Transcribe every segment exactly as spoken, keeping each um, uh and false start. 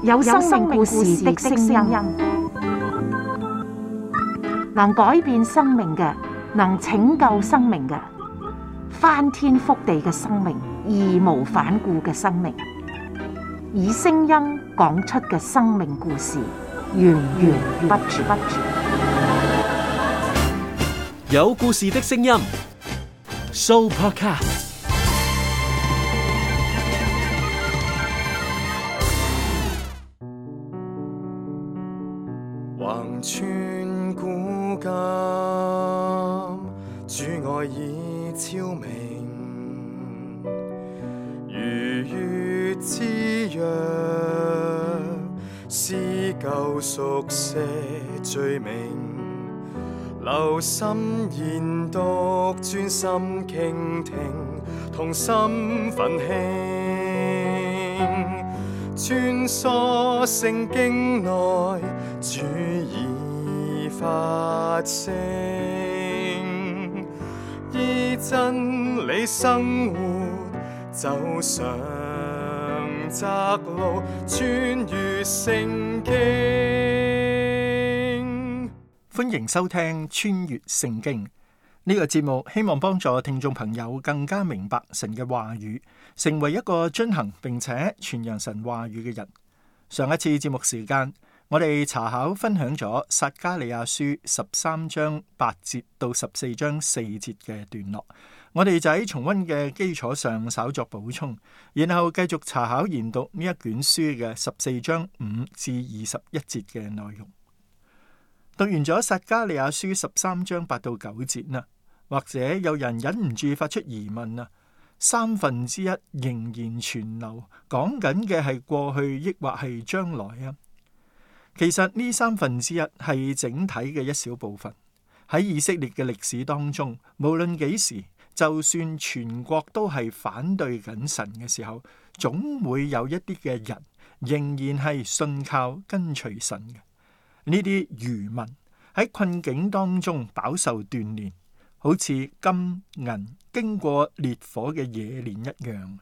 有生命故事的聲音，能改變生命嘅，能拯救生命嘅，翻天覆地嘅生命，義無反顧嘅生命，以聲音講出嘅生命故事，源源不絕。有故事的聲音 ，Sooopodcast。橫穿古今，主愛已超明，如月之約，撕舊熟寫罪名，留心研讀，專心傾聽，同心奮興，穿梭聖經內，主已發聲，依真理生活，走上窄路，穿越聖經。歡迎收聽穿越聖經呢個節目，希望幫助聽眾朋友更加明白神嘅話語，成為一個遵行並且傳揚神話語嘅人。上一次節目時間，我哋查考分享咗撒迦利亞書十三章八節到十四章四節嘅段落，我哋就喺重溫嘅基礎上稍作補充，然後繼續查考研讀呢一卷書嘅十四章五至二十一節嘅內容。讀完咗撒迦利亞書十三章八到九節啦，或者有人忍唔住發出疑問啊，三分之一仍然存留，講緊嘅係過去抑或係將來啊？其實呢三分之一係整體嘅一小部分。喺以色列嘅歷史當中，無論幾時，就算全國都係反對緊神嘅時候，總會有一啲嘅人仍然係信靠跟隨神嘅。呢啲餘民喺困境當中飽受鍛煉，好似金銀經過烈火嘅冶煉一樣。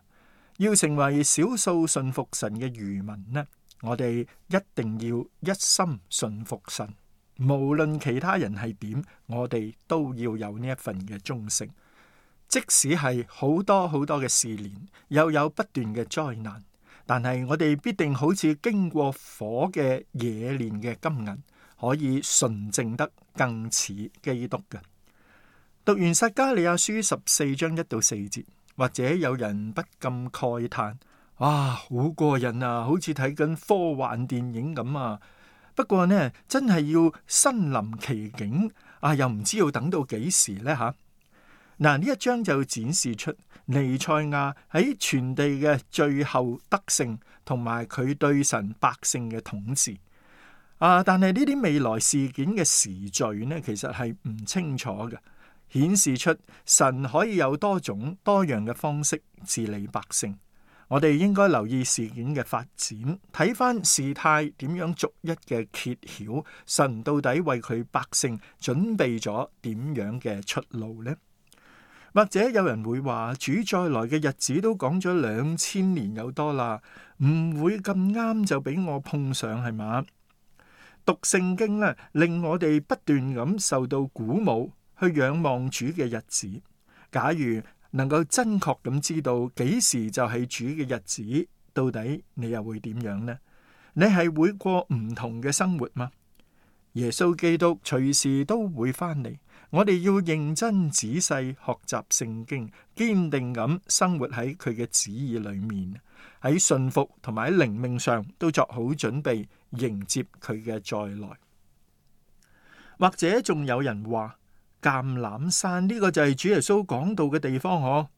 要成為少數信服神嘅餘民呢，我哋一定要一心信服神，無論其他人係點，我哋都要有呢一份嘅忠誠。即使係好多好多嘅試煉，又有不斷嘅災難，但係我哋必定好似經過火嘅冶煉嘅金銀，可以純正得更似基督嘅。讀完撒迦利亞書十四章一到四節，或者有人不禁慨嘆：哇，好過癮啊，好似睇緊科幻電影咁啊！不過呢，真係要身臨其境啊，又唔知要等到幾時呢？吓、啊。嗱，呢一章就展示出彌賽亞喺全地嘅最後得勝，同埋佢對神百姓嘅統治。啊，但係呢啲未來事件嘅時序呢，其實係唔清楚嘅，顯示出神可以有多種多樣嘅方式治理百姓。我哋應該留意事件嘅發展，睇翻事態點樣逐一嘅揭曉，神到底為佢百姓準備咗點樣嘅出路呢？或者有人會話，主再來嘅日子都講咗兩千年有多啦，唔會咁啱就俾我碰上係嘛？讀聖經咧，令我哋不斷咁受到鼓舞，去仰望主嘅日子。假如能夠真確咁知道幾時就係主嘅日子，到底你又會點樣呢？你係會過唔同嘅生活嗎？耶穌基督隨時都會翻嚟，我哋要認真仔細學習聖經，堅定咁生活喺佢嘅旨意裏面，喺信服同埋喺靈命上都作好準備，迎接佢嘅再來。或者仲有人話，橄欖山呢個就係主耶穌講道嘅地方嗬。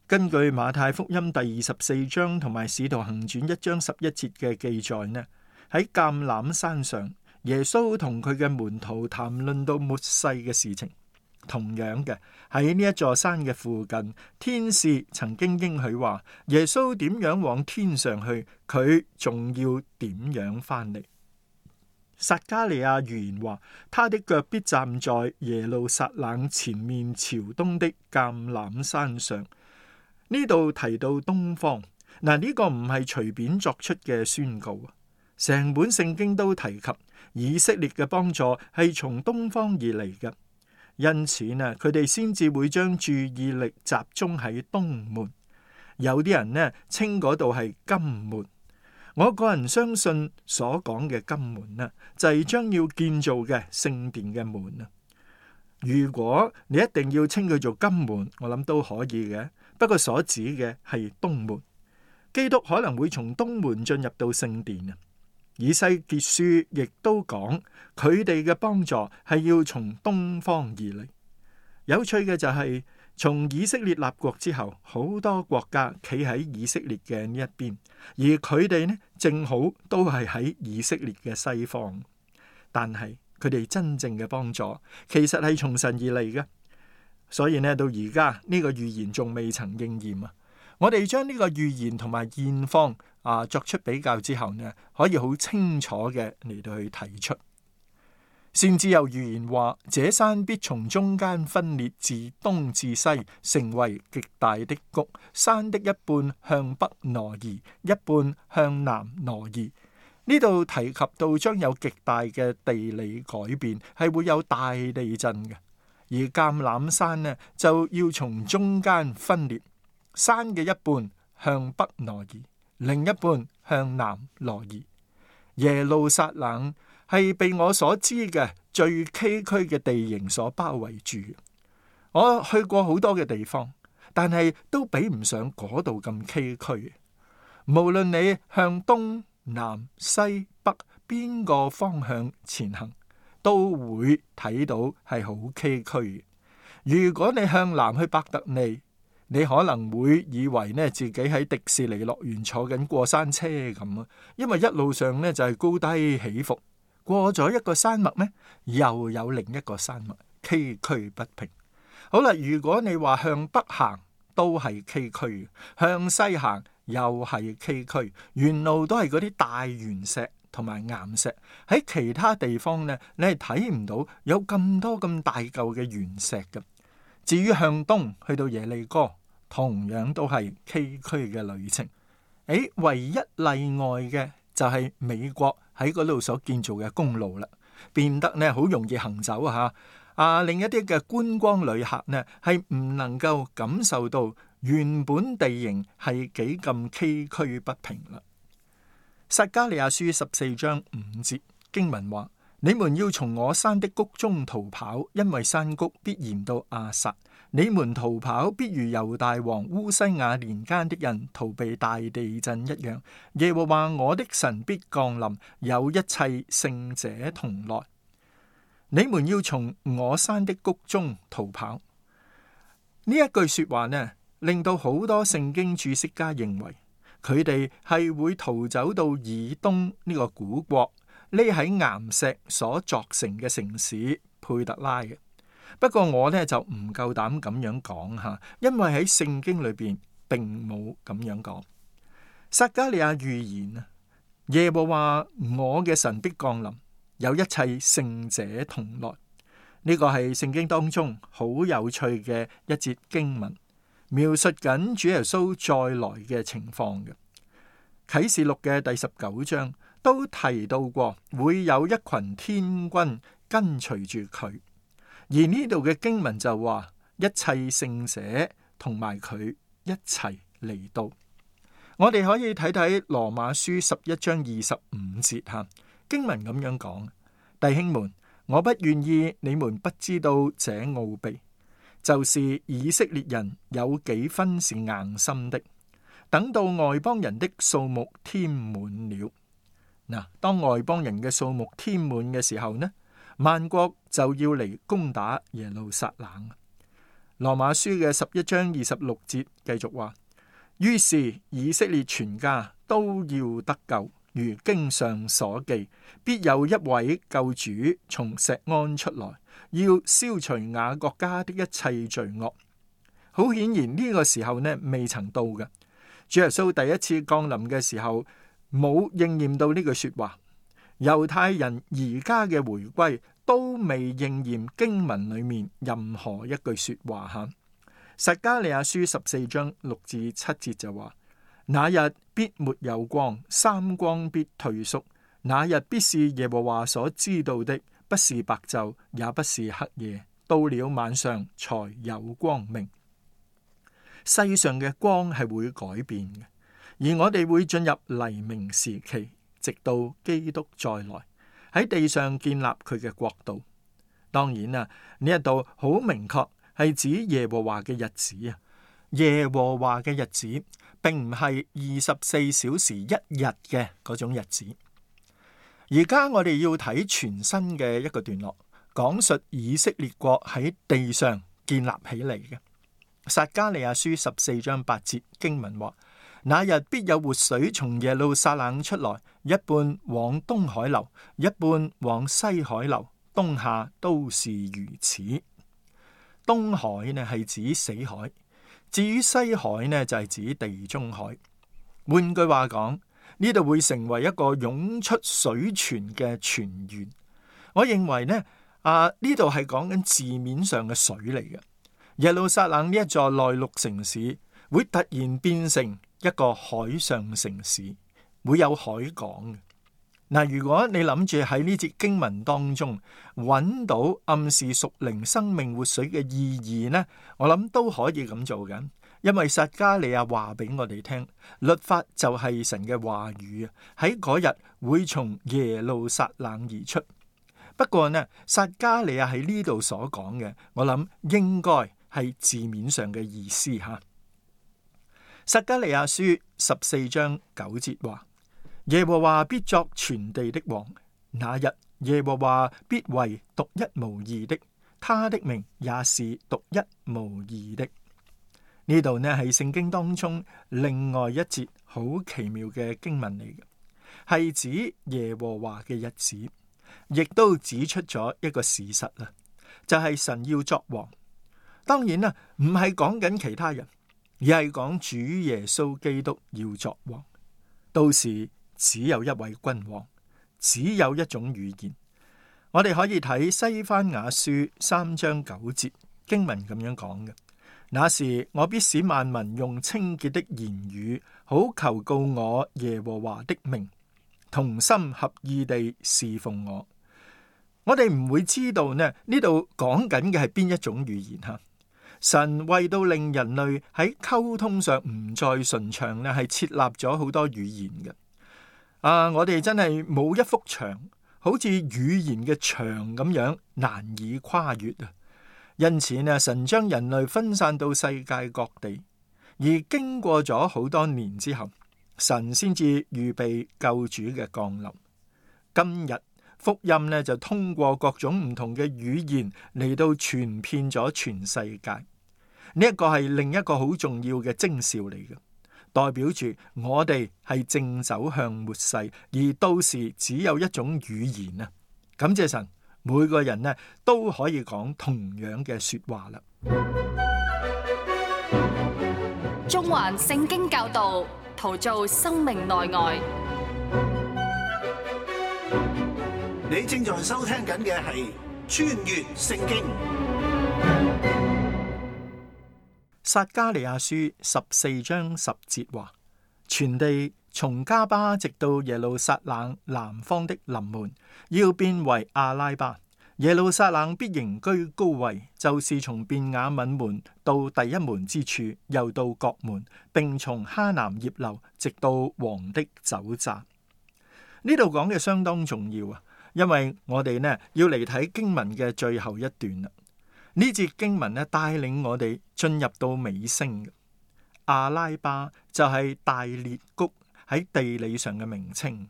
根據馬太福音第二十四章同埋使徒行傳一章十一節嘅記載呢，喺橄欖山上，耶穌同佢嘅門徒談論到末世嘅事情。同樣嘅，喺呢一座山嘅附近，天使曾經應許話，耶穌點樣往天上去，佢仲要點樣翻嚟。撒迦利亞預言話，他的腳必站在耶路撒冷前面朝東的橄欖山上。呢度提到東方，嗱，呢個唔係隨便作出嘅宣告，成本聖經都提及以色列嘅幫助係從東方而嚟嘅，因此呢，佢哋先至會將注意力集中喺東門。有啲人呢稱嗰度係金門，我個人相信所講嘅金門呢，就係將要建造嘅聖殿嘅門啊。如果你一定要稱佢做金門，我諗都可以嘅。不過所指嘅係東門，基督可能會從東門進入到聖殿啊。以西結書亦都講佢哋嘅幫助係要從東方而嚟。有趣嘅就係、是、從以色列立國之後，好多國家企喺以色列嘅呢一邊，而佢哋呢正好都係喺以色列嘅西方。但係佢哋真正嘅幫助其實係從神而嚟嘅。所以呢，到而家呢個預言仲未曾應驗啊！我哋將呢個預言同埋現況啊作出比較之後呢，可以好清楚嘅嚟到去提出。先至有預言話，這山必從中間分裂，自東至西，成為極大的谷。山的一半向北挪移，一半向南挪移。呢度提及到將有極大嘅地理改變，係會有大地震嘅。而橄欖山呢，就要從中間分裂，山嘅一半向北挪移，另一半向南挪移。耶路撒冷係被我所知嘅最崎嶇嘅地形所包圍住。我去過好多嘅地方，但係都比唔上嗰度咁崎嶇。無論你向東南西北邊個方向前行，都會睇到係好崎嶇。如果你向南去伯特利，你可能會以為呢自己喺迪士尼樂園坐緊過山車咁啊，因為一路上呢就係高低起伏。過咗一個山脈呢，又有另一個山脈，崎嶇不平。好啦，如果你話向北行都係崎嶇，向西行又係崎嶇，沿路都係嗰啲大原石同埋岩石。喺其他地方呢，你係睇唔到有咁多咁大嚿嘅原石嘅。至於向東去到耶利哥，同樣都係崎嶇嘅旅程。誒，唯一例外嘅就係美國喺嗰度所建造嘅公路啦，變得呢好容易行走啊！啊，另一啲嘅觀光旅客呢係唔能夠感受到原本地形係幾咁崎嶇不平啦。撒迦利亞書十四章五節經文話：你們要從我山的谷中逃跑，因為山谷必延到亞撒。你們逃跑，必如猶大王烏西亞年間的人逃避大地震一樣。耶和華我的神必降臨，有一切聖者同來。你們要從我山的谷中逃跑。呢一句說話呢，令到好多聖經注釋家認為佢哋係會逃走到以東呢個古國，匿喺岩石所鑿成嘅城市佩特拉嘅。不過我呢就唔夠膽咁樣講吓，因為喺聖經裏邊並冇咁樣講。撒迦利亞預言啊，耶和華我嘅神必降臨，有一切聖者同來。呢個係聖經當中好有趣嘅一節經文，描述緊主耶穌再來嘅情況嘅。啟示錄嘅第十九章都提到過，會有一群天軍跟隨住佢。而呢度嘅經文就話，一切聖者同埋佢一齊嚟到。我哋可以睇睇羅馬書十一章二十五節吓，經文咁樣講：弟兄們，我不願意你們不知道這奧秘，就是以色列人有幾分是硬心的，等到外邦人的數目添滿了。嗱，當外邦人嘅數目添滿嘅時候呢，萬國就要嚟攻打耶路撒冷。羅馬書嘅十一章二十六節繼續話：於是以色列全家都要得救，如經上所記，必有一位救主從錫安出來，要消除雅各家的一切罪惡。好顯然呢個時候呢未曾到嘅。主耶穌第一次降臨嘅時候冇應驗到呢句說話。猶太人而家嘅回歸都未應驗經文裏面任何一句說話吓。撒迦利亞書十四章六至七節就話：那日必沒有光，三光必退縮。那日必是耶和華所知道的，不是白晝，也不是黑夜，到了晚上才有光明。世上嘅光係會改變嘅，而我哋會進入黎明時期，直到基督再來，喺地上建立佢嘅國度。當然啊，呢一度好明確係指耶和華嘅日子啊。耶和華嘅日子並唔係二十四小時一日嘅嗰種日子。而家我哋要睇全新嘅一個段落，講述以色列國喺地上建立起嚟嘅。撒迦利亞書十四章八節經文話：那日必有活水從耶路撒冷出來，一半往東海流，一半往西海流，冬夏都是如此。東海呢係指死海，至於西海呢就係指地中海。換句話講，呢度會成為一個湧出水泉嘅泉源。我認為呢啊呢度係講緊字面上嘅水嚟嘅。耶路撒冷呢一座內陸城市會突然變成一個海上城市，會有海港嘅。嗱，如果你諗住喺呢節經文當中揾到暗示屬靈生命活水嘅意義呢，我諗都可以咁做嘅。因為撒迦利亞話俾我哋聽，律法就係神嘅話語啊，喺嗰日會從耶路撒冷而出。不過呢，撒迦利亞喺呢度所講嘅，我諗應該係字面上嘅意思吓。撒迦利亞書十四章九節話：耶和華必作全地的王，那日耶和華必為獨一無二的，他的名也是獨一無二的。呢度呢係聖經當中另外一節好奇妙嘅經文嚟嘅，係指耶和華嘅日子，亦都指出咗一個事實啦，就係神要作王。當然啦，唔係講緊其他人，而係講主耶穌基督要作王。到時只有一位君王，只有一種語言。我哋可以睇西番雅書三章九節經文咁樣講嘅：那時我必使萬民用清潔的言語，好求告我耶和華的名，同心合意地侍奉我。我哋唔會知道呢呢度講緊嘅係邊一種語言吓。神為到令人類喺溝通上唔再順暢呢，係設立咗好多語言嘅。啊，我哋真係冇一幅牆，好似語言嘅牆咁樣難以跨越啊！因此呢，神將人類分散到世界各地，而經過咗好多年之後，神先至預備救主嘅降臨。今日福音呢就通過各種唔同嘅語言嚟到傳遍咗全世界。呢一個係另一個好重要嘅徵兆嚟嘅，代表住我哋係正走向末世，而到時只有一種語言啊！感謝神，每個人呢都可以講同樣嘅說話啦。中環聖經教導，陶造生命內外。你正在收聽緊嘅係穿越聖經。撒迦利亞書十四章十節話：全地從加巴直到耶路撒冷南方的臨門，要變為阿拉巴。耶路撒冷必仍居高位，就是從便雅憫門到第一門之處，又到角門，並從哈南葉樓直到王的酒醡。呢度講嘅相當重要啊，因為我哋呢要嚟睇經文嘅最後一段啦。呢節經文咧帶領我哋進入到尾聲嘅。阿拉巴就係大裂谷喺地理上嘅名稱。呢、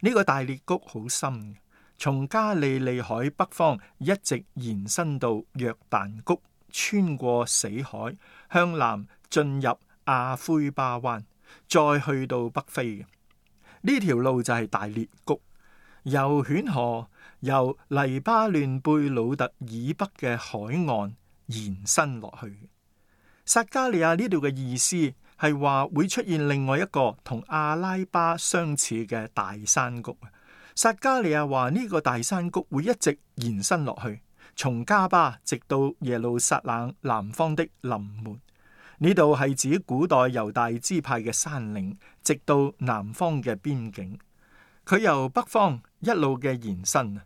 這個大裂谷好深，從加利利海北方一直延伸到約旦谷，穿過死海，向南進入亞灰巴灣，再去到北非嘅。呢條路就係大裂谷，由犬河，由黎巴嫩貝魯特以北嘅海岸延伸落去。撒迦利亞呢度嘅意思係話會出現另外一個同阿拉巴相似嘅大山谷。撒迦利亞話呢個大山谷會一直延伸落去，從加巴直到耶路撒冷南方的臨門。呢度係指古代猶大支派嘅山嶺，直到南方嘅邊境。佢由北方一路嘅延伸，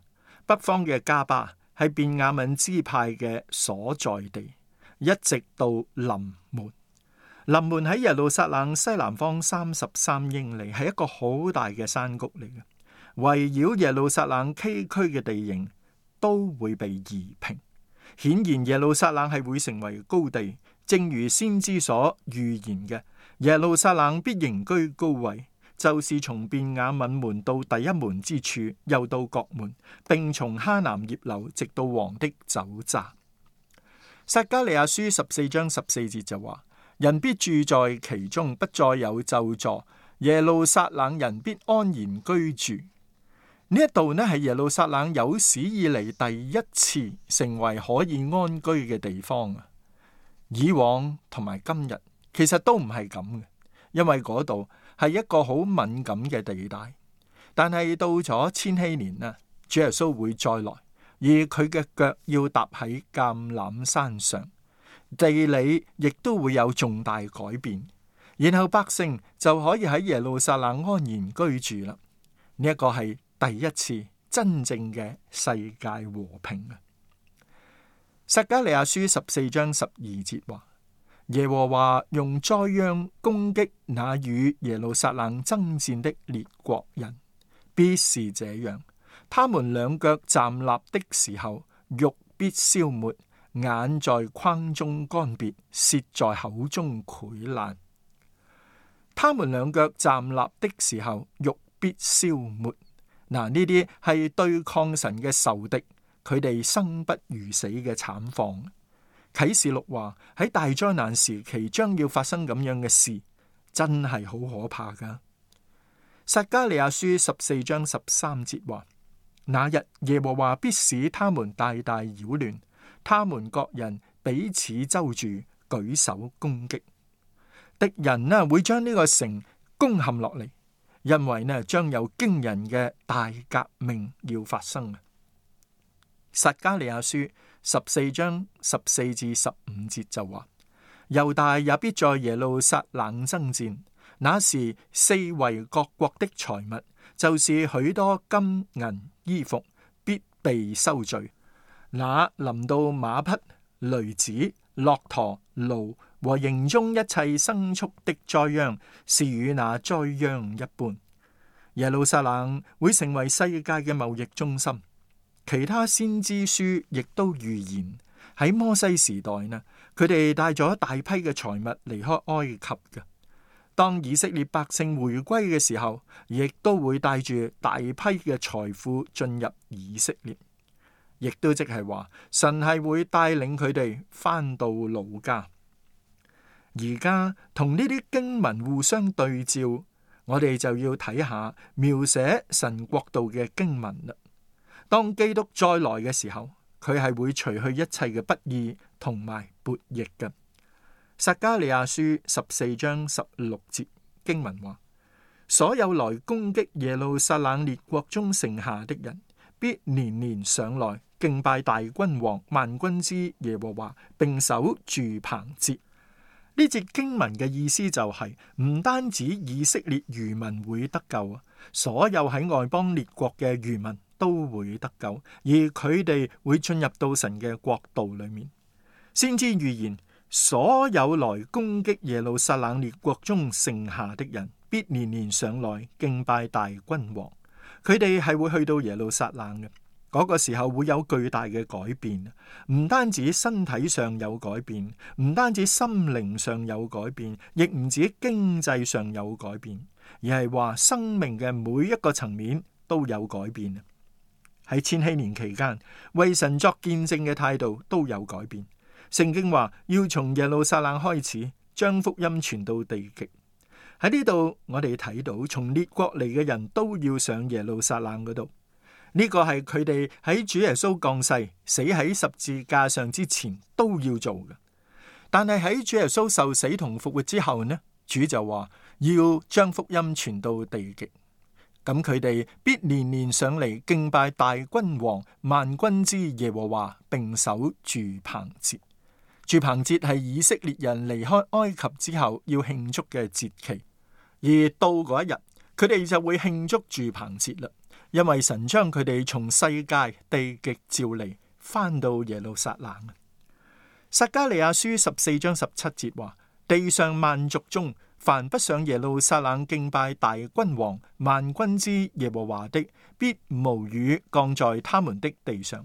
北方嘅加巴係便雅憫支派嘅所在地，一直到臨門。臨門喺耶路撒冷西南方三十三英里，係一個好大嘅山谷嚟嘅。圍繞耶路撒冷崎嶇嘅地形都會被夷平，顯然耶路撒冷係會成為高地，正如先知所預言嘅，耶路撒冷必仍居高位，就是從便雅憫門到第一門之處，又到角門，並從哈南葉樓直到王的酒榨。撒迦利亞書十四章十四節就話：人必住在其中，不再有咒詛，耶路撒冷人必安然居住。呢一度呢係耶路撒冷有史以嚟第一次成為可以安居嘅地方啊！以往同埋今日其實都唔係咁嘅，因為嗰度係一個好敏感嘅地帶。但係到咗千禧年啊，主耶穌會再來，而佢嘅腳要踏喺橄欖山上，地理亦都會有重大改變，然後百姓就可以喺耶路撒冷安然居住啦。呢一個係第一次真正嘅世界和平啊！撒迦利亞書十四章十二節話：耶和華用災殃攻擊那與耶路撒冷爭戰的列國人，必是這樣。他們兩腳站立的時候，肉必消沒，眼在眶中乾癟，舌在口中潰爛。他們兩腳站立的時候，肉必消沒。嗱，呢啲係對抗神嘅仇敵，佢哋生不如死嘅慘況。啟示錄話喺大災難時期將要發生咁樣嘅事，真係好可怕噶。撒迦利亞書十四章十三節話：那日耶和華必使他們大大擾亂，他們各人彼此周住，舉手攻擊。敵人呢會將呢個城攻陷落嚟。因為呢，將有驚人嘅大革命要發生啊！撒迦利亞書十四章十四至十五節就話：猶大也必在耶路撒冷爭戰，那時四圍各國的財物，就是許多金銀衣服，必被收聚。那臨到馬匹、驢子、駱駝、驢和營中一切牲畜的災殃，是與那災殃一般。耶路撒冷會成為世界嘅貿易中心。其他先知書亦都預言喺摩西時代呢，佢哋帶咗大批嘅財物離開埃及嘅。當以色列百姓回歸嘅時候，亦都會帶住大批嘅財富進入以色列。亦都即係話，神係會帶領佢哋翻到老家。而家同呢啲經文互相對照，我哋就要睇下描寫神國度嘅經文啦。當基督再來嘅時候，佢係會除去一切嘅不義同埋悖逆嘅。撒迦利亞書十四章十六節經文話：所有來攻擊耶路撒冷列國中剩下的人，必年年上來敬拜大君王萬軍之耶和華，並守住棚節。呢節經文嘅意思就係、是、唔單止以色列餘民會得救啊，所有喺外邦列國嘅餘民都會得救，而佢哋會進入到神嘅國度裏面。先知預言，所有來攻擊耶路撒冷列國中剩下的人，必年年上來敬拜大君王。佢哋係會去到耶路撒冷嘅。嗰個時候會有巨大嘅改變，唔單止身體上有改變，唔單止心靈上有改變，亦唔止經濟上有改變，而係話生命嘅每一個層面都有改變。喺千禧年期間，為神作見證嘅態度都有改變。聖經話要從耶路撒冷開始，將福音傳到地極。喺呢度我哋睇到，從列國嚟嘅人都要上耶路撒冷嗰度。呢個係佢哋喺主耶穌降世、死喺十字架上之前都要做嘅。但係喺主耶穌受死同復活之後呢，主就話要將福音傳到地極。咁佢哋必年年上嚟敬拜大君王萬軍之耶和華，並守住棚節。住棚節係以色列人離開埃及之後要慶祝嘅節期，而到嗰一日，佢哋就會慶祝住棚節啦，因為神將佢哋從世界地極召離，翻到耶路撒冷。撒迦利亞書十四章十七節話：地上萬族中，凡不上耶路撒冷敬拜大君王萬軍之耶和華的，必無雨降在他們的地上。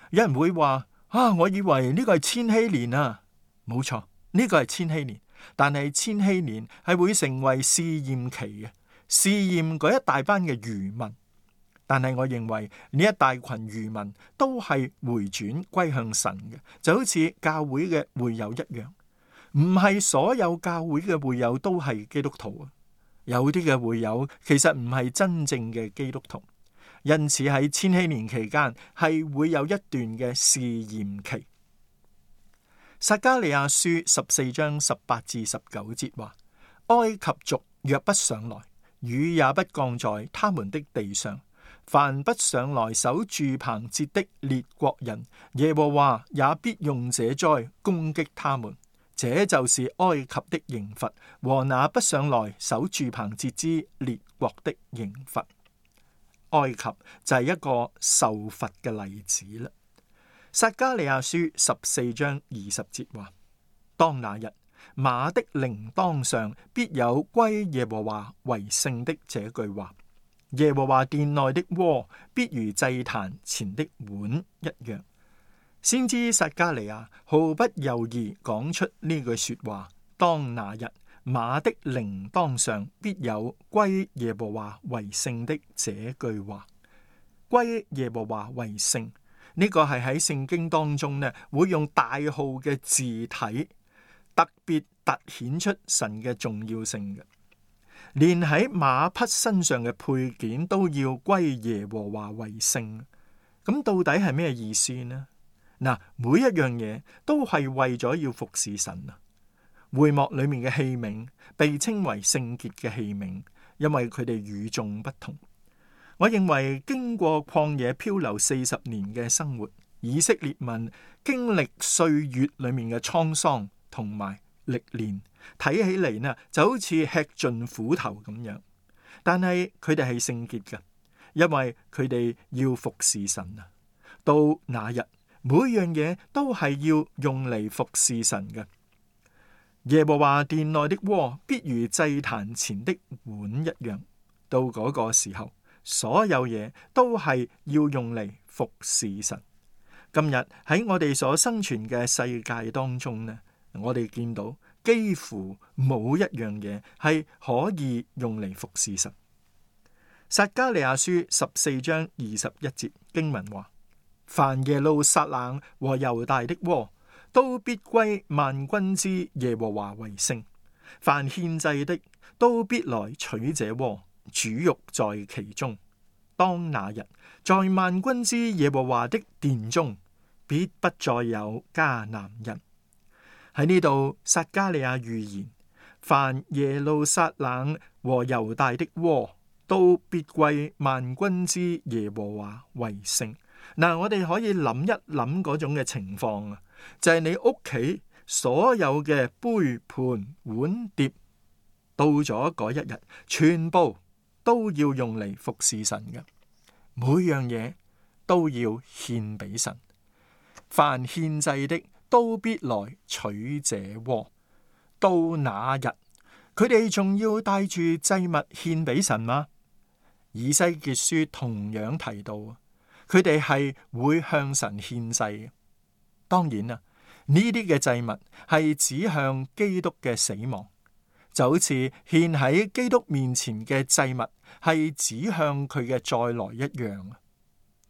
有人會話：啊，我以為呢個係千禧年啊。冇錯，呢個係千禧年，但係千禧年係會成為試驗期嘅，試驗嗰一大班嘅餘民。但係我認為呢一大群餘民都係回轉歸向神嘅，就好似教會嘅會友一樣。唔係所有教會嘅會友都係基督徒啊，有啲嘅會友其實唔係真正嘅基督徒，因此喺千禧年期間係會有一段嘅試驗期。撒迦利亞書十四章十八至十九節話：埃及族若不上來，雨也不降在他們的地上。凡不上來守住棚節的列國人，耶和華也必用這災攻擊他們。這就是埃及的刑罰和那不上來守住棚節之列國的刑罰。埃及就係一個受罰嘅例子啦。撒迦利亞書十四章二十節話：當那日，馬的鈴鐺上必有歸耶和華為聖的這句話。耶和華殿內的鍋必如祭壇前的碗一樣。先知撒迦利亞毫不猶豫講出呢句說話：當那日，馬的鈴鐺上必有歸耶和華為聖的這句話。歸耶和華為聖，呢個係喺聖經當中呢，會用大號嘅字體特別凸顯出神嘅重要性嘅。連喺馬匹身上嘅配件都要歸耶和華為聖，咁到底係咩意思呢？嗱，每一樣嘢都係為咗要服侍神啊。會幕裏面嘅器皿被稱為聖潔嘅器皿，因為佢哋與眾不同。我認為經過曠野漂流四十年嘅生活，以色列民經歷歲月裏面嘅滄桑同埋歷練，睇起嚟呢就好似吃盡苦頭咁樣，但係佢哋係聖潔嘅，因為佢哋要服侍神啊。到那日，每樣嘢都係要用嚟服侍神嘅。耶和華殿內的鍋必如祭壇前的碗一樣。到嗰個時候，所有嘢都係要用嚟服侍神。今日喺我哋所生存嘅世界當中呢，我哋見到幾乎冇一樣嘢係可以用嚟服侍神。撒迦利亞書十四章二十一節經文話：凡耶路撒冷和猶大的鍋，都必歸萬軍之耶和華為聖。凡獻祭的，都必來取這鍋，煮肉在其中。當那日，在萬軍之耶和華的殿中，必不再有迦南人。喺呢度，撒迦利亞預言，凡耶路撒冷和猶大的鍋，都必歸萬軍之耶和華為聖。嗱，我哋可以諗一諗嗰種嘅情況啊，就係、是、你屋企所有嘅杯盤碗碟，到咗嗰一日，全部都要用嚟服侍神嘅，每樣嘢都要獻俾神。凡獻祭的，都必來取這鍋。到那日，佢哋仲要帶住祭物獻俾神嗎？以西結書同樣提到，佢哋係會向神獻祭嘅。當然啦，呢啲嘅祭物係指向基督嘅死亡，就好似獻喺基督面前嘅祭物係指向佢嘅再來一樣。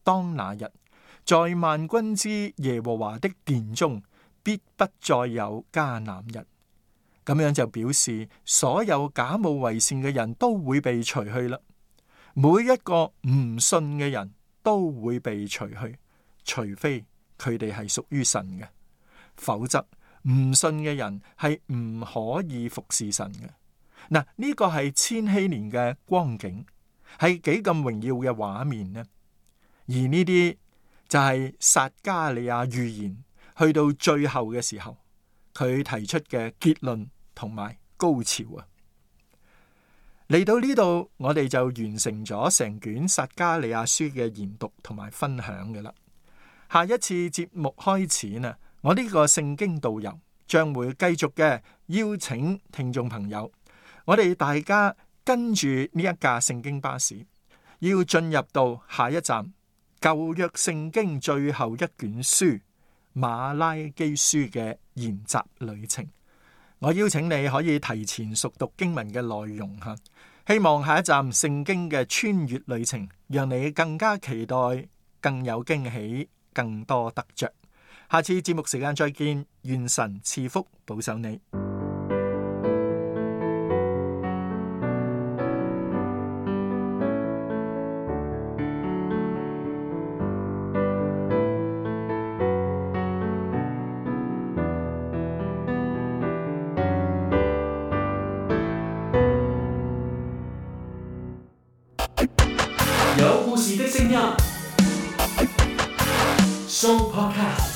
當那日，在萬軍之耶和華的殿中，必不再有迦南人。咁樣就表示所有假冒為善嘅人都會被除去啦。每一個唔信嘅人都會被除去，除非佢哋係屬於神嘅，否則唔信嘅人係唔可以服侍神嘅。嗱，呢個係千禧年嘅光景，係幾咁榮耀嘅畫面呢？而呢啲就係撒迦利亞預言去到最後嘅時候佢提出嘅結論同埋高潮啊！嚟到呢度，我哋就完成咗成卷撒迦利亞書嘅研讀同埋分享嘅啦。下一次節目開始呢，我呢個聖經導遊將會繼續嘅邀請聽眾朋友，我哋大家跟住呢一架聖經巴士，要進入到下一站舊約聖經最後一卷書馬拉基書嘅研習旅程。我邀請你可以提前熟讀經文嘅內容吓，希望下一站聖經嘅穿越旅程，讓你更加期待，更有驚喜，更多得着。下次節目時間再見，願神賜福保守你。有故事的聲音，Show Podcast。